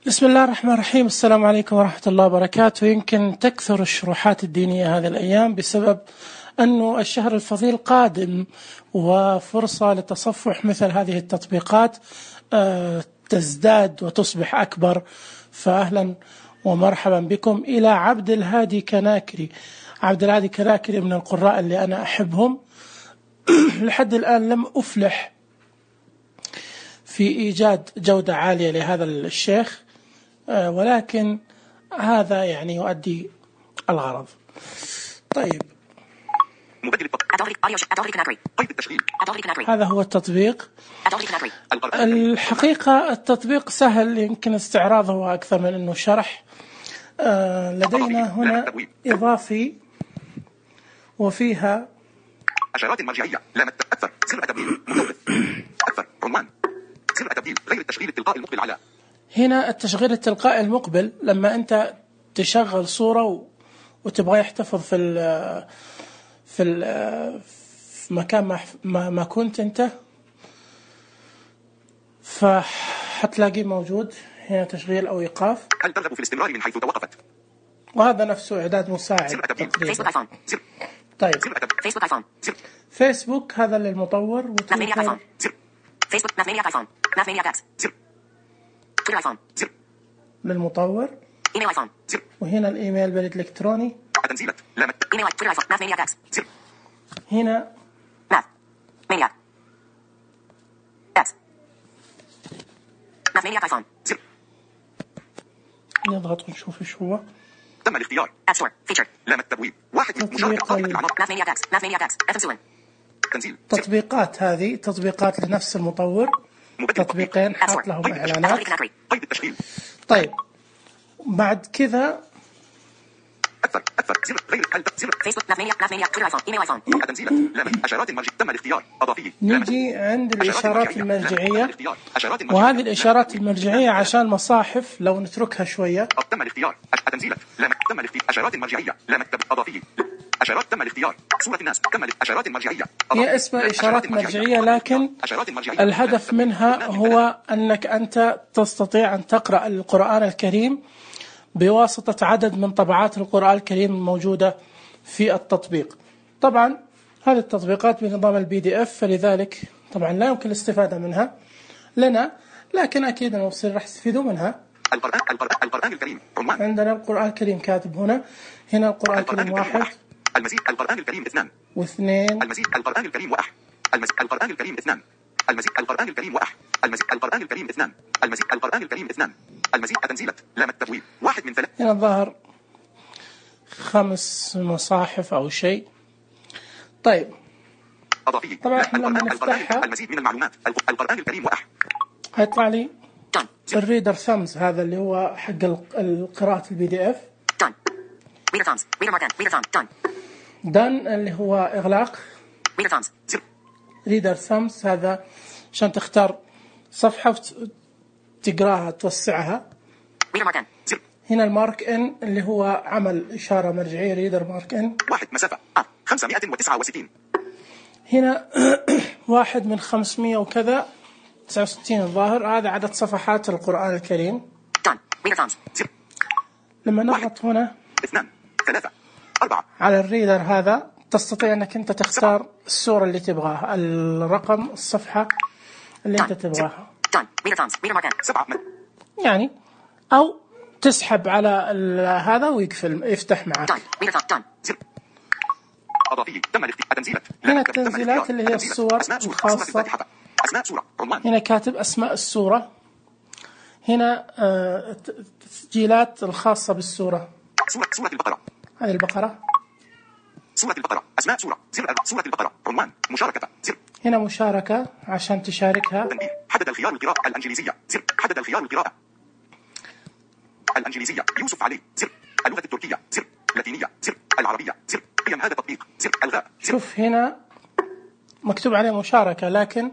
بسم الله الرحمن الرحيم. السلام عليكم ورحمة الله وبركاته. يمكن تكثر الشروحات الدينية هذه الأيام بسبب أنه الشهر الفضيل قادم، وفرصة لتصفح مثل هذه التطبيقات تزداد وتصبح أكبر. فأهلا ومرحبا بكم إلى عبد الهادي كناكري. عبد الهادي كناكري من القراء اللي أنا أحبهم. لحد الآن لم أفلح في إيجاد جودة عالية لهذا الشيخ، ولكن هذا يعني يؤدي الغرض. طيب، هذا هو التطبيق. الحقيقة التطبيق سهل، يمكن استعراضه أكثر من أنه شرح. لدينا هنا إضافي وفيها أشارات مرجعية، لامت أكثر، سر تبديل، متوقف، أكثر، عنوان، سر تبديل، غير التشغيل التلقائي المقبل على. هنا التشغيل التلقائي المقبل، لما أنت تشغل صورة وتبغى يحتفظ في مكان ما كنت أنت، فحتلاقيه موجود هنا تشغيل أو إيقاف. هل ترغب في الاستمرار من حيث توقفت؟ وهذا نفسه إعداد مساعد تقريبا. طيب، فيسبوك هذا للمطور، وتويتر للمطور، وهنا الإيميل بالإلكتروني، هنا نضغط ونشوف ايش هو. تم الاختيار. لام التبويب. واحد تنزيل. تطبيقات، هذه تطبيقات لنفس المطور، تطبيقين حاط لهم إعلانات. قيد التشغيل. طيب، بعد كذا أكثر زر غير زر فيسبوك تنزيل لام أشارات المرجع. تم الاختيار. أضافي. نجي عند الإشارات المرجعية، وهذه الإشارات المرجعية عشان مصاحف لو نتركها شوية. تم الاختيار. تنزيل لام. تم الاختيار. أشارات المرجعية. لام أضافي. أشارات. تم الاختيار. صورة الناس. تم الإشارات المرجعية. هي اسمها إشارات مرجعية، لكن الهدف منها هو أنك أنت تستطيع أن تقرأ القرآن الكريم بواسطة عدد من طبعات القرآن الكريم الموجودة في التطبيق. طبعا هذه التطبيقات بنظام الPDF، فلذلك طبعا لا يمكن الاستفادة منها لنا، لكن أكيد المبصرين راح يستفيدوا منها. القرآن الكريم. عندنا القرآن الكريم كاتب هنا القرآن الكريم 1، المزيد القرآن الكريم 2 و2، المزيد القرآن الكريم 1، المزيد القرآن الكريم 2، المزيد القرآن الكريم 1، المزيد القرآن الكريم 2، المزيد القرآن الكريم 2، المزيد تنزيلة لام التبويب 1 من 3. هنا الظاهر 5 مصاحف أو شيء. طيب، أضافي. طبعا احنا لما نفتحها المزيد من المعلومات. القرآن الكريم 1 هيطلع لي الريدر ثامز، هذا اللي هو حق قراءة الPDF. دان اللي هو إغلاق. ريدر ثامز هذا عشان تختار صفحة تقراها توسعها. هنا المارك إن اللي هو عمل إشارة مرجعية، ريدر مارك إن 1 مسافة 569. هنا 1 من 500 وكذا 69 الظاهر. هذا عدد صفحات القرآن الكريم. لما نضغط هنا 2 3 4 على الريدر هذا، تستطيع أنك أنت تختار السورة اللي تبغاها، الرقم، الصفحة اللي أنت تبغاها يعني، أو تسحب على هذا ويقفل يفتح معك. هنا التنزيلات اللي هي الصور الخاصة. هنا كاتب أسماء السورة. هنا التسجيلات الخاصة بالسورة. سورة البقرة. هذه البقرة. سورة البقرة. أسماء سورة. سورة البقرة. عنوان. مشاركة. هنا مشاركة عشان تشاركها. حدد الخيار القراءة الإنجليزية. حدد الخيار القراءة الإنجليزية. يوسف علي. اللغة التركية. اللاتينية. العربية. قيم هذا التطبيق. ألغاء. شوف هنا مكتوب عليه مشاركة، لكن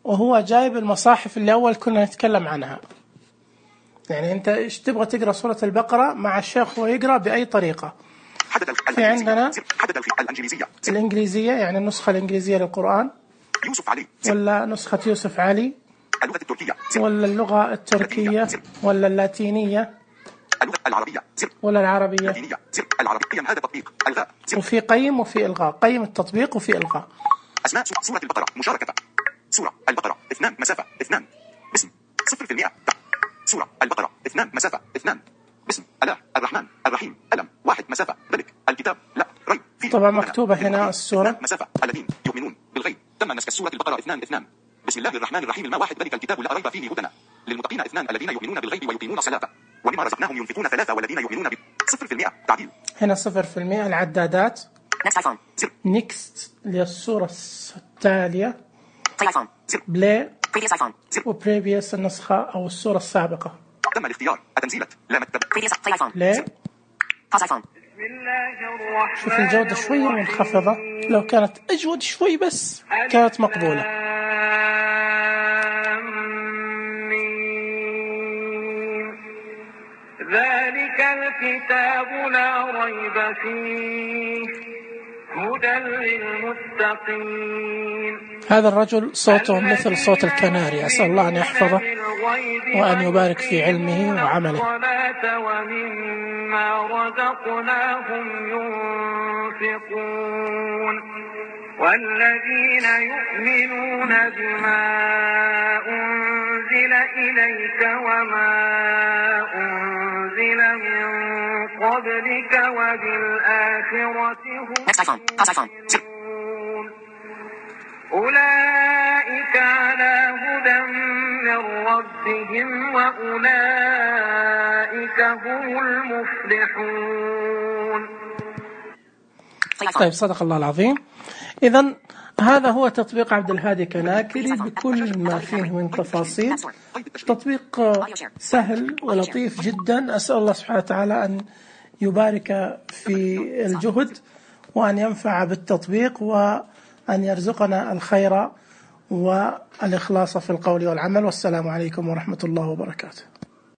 وهو جايب المصاحف اللي أول كنا نتكلم عنها. يعني أنت إيش تبغى تقرأ سورة البقرة مع الشيخ ويقرأ بأي طريقة. في عندنا الإنجليزية، يعني النسخة الإنجليزية للقرآن، يوسف علي، ولا نسخة يوسف علي، اللغة التركية زر. ولا اللغة التركية ولا اللاتينية اللغة العربية زر. ولا العربية؟ اللاتينية زر. العربية قيم هذا التطبيق الغاء زر. وفي قيم وفي إلغاء، قيم التطبيق وفي إلغاء. أسماء سورة البقرة مشاركة. سورة البقرة 2 مسافة 2 باسم 0%. سورة البقرة 2 مسافة 2 باسم الله الرحمن الرحيم ألم 1 مسافة ذلك الكتاب لا ريب فيه. طبعا مكتوبة هنا السورة مسافة الذين يؤمنون بالغيب. تم نسخ سورة البقرة 2 بسم الله الرحمن الرحيم الما 1 ذلك الكتاب لا ريب فيه هدى للمتقين 2 الذين يؤمنون بالغيب ويقيمون الصلاة ومما رزقناهم ينفقون 3 والذين يؤمنون ب 0%. تعديل هنا 0%. العدادات نيكست للصورة التالية، بلاي وبريفيوس النسخة أو الصورة السابقة. تم الاختيار التنزيلة لا مكتب بلاي. شوف الجودة شوية منخفضة، لو كانت أجود شوي بس كانت مقبولة. ذلك الكتاب لا ريب فيه هدى للمتقين. هذا الرجل صوته مثل صوت الكناري، أسأل الله أن يحفظه وأن يبارك في علمه وعمله. ومما رزقناهم ينفقون والذين يؤمنون بما أنزل إليك وما أنزل من قبلك وبالآخرة هم يؤمنون أولئك على هدى من ربهم وأولئك هم المفلحون. طيب صدق الله العظيم. إذن هذا هو تطبيق عبد الهادي كناكري بكل ما فيه من تفاصيل. تطبيق سهل ولطيف جدا. أسأل الله سبحانه وتعالى أن يبارك في الجهد وأن ينفع بالتطبيق وأن يرزقنا الخير والإخلاص في القول والعمل. والسلام عليكم ورحمة الله وبركاته.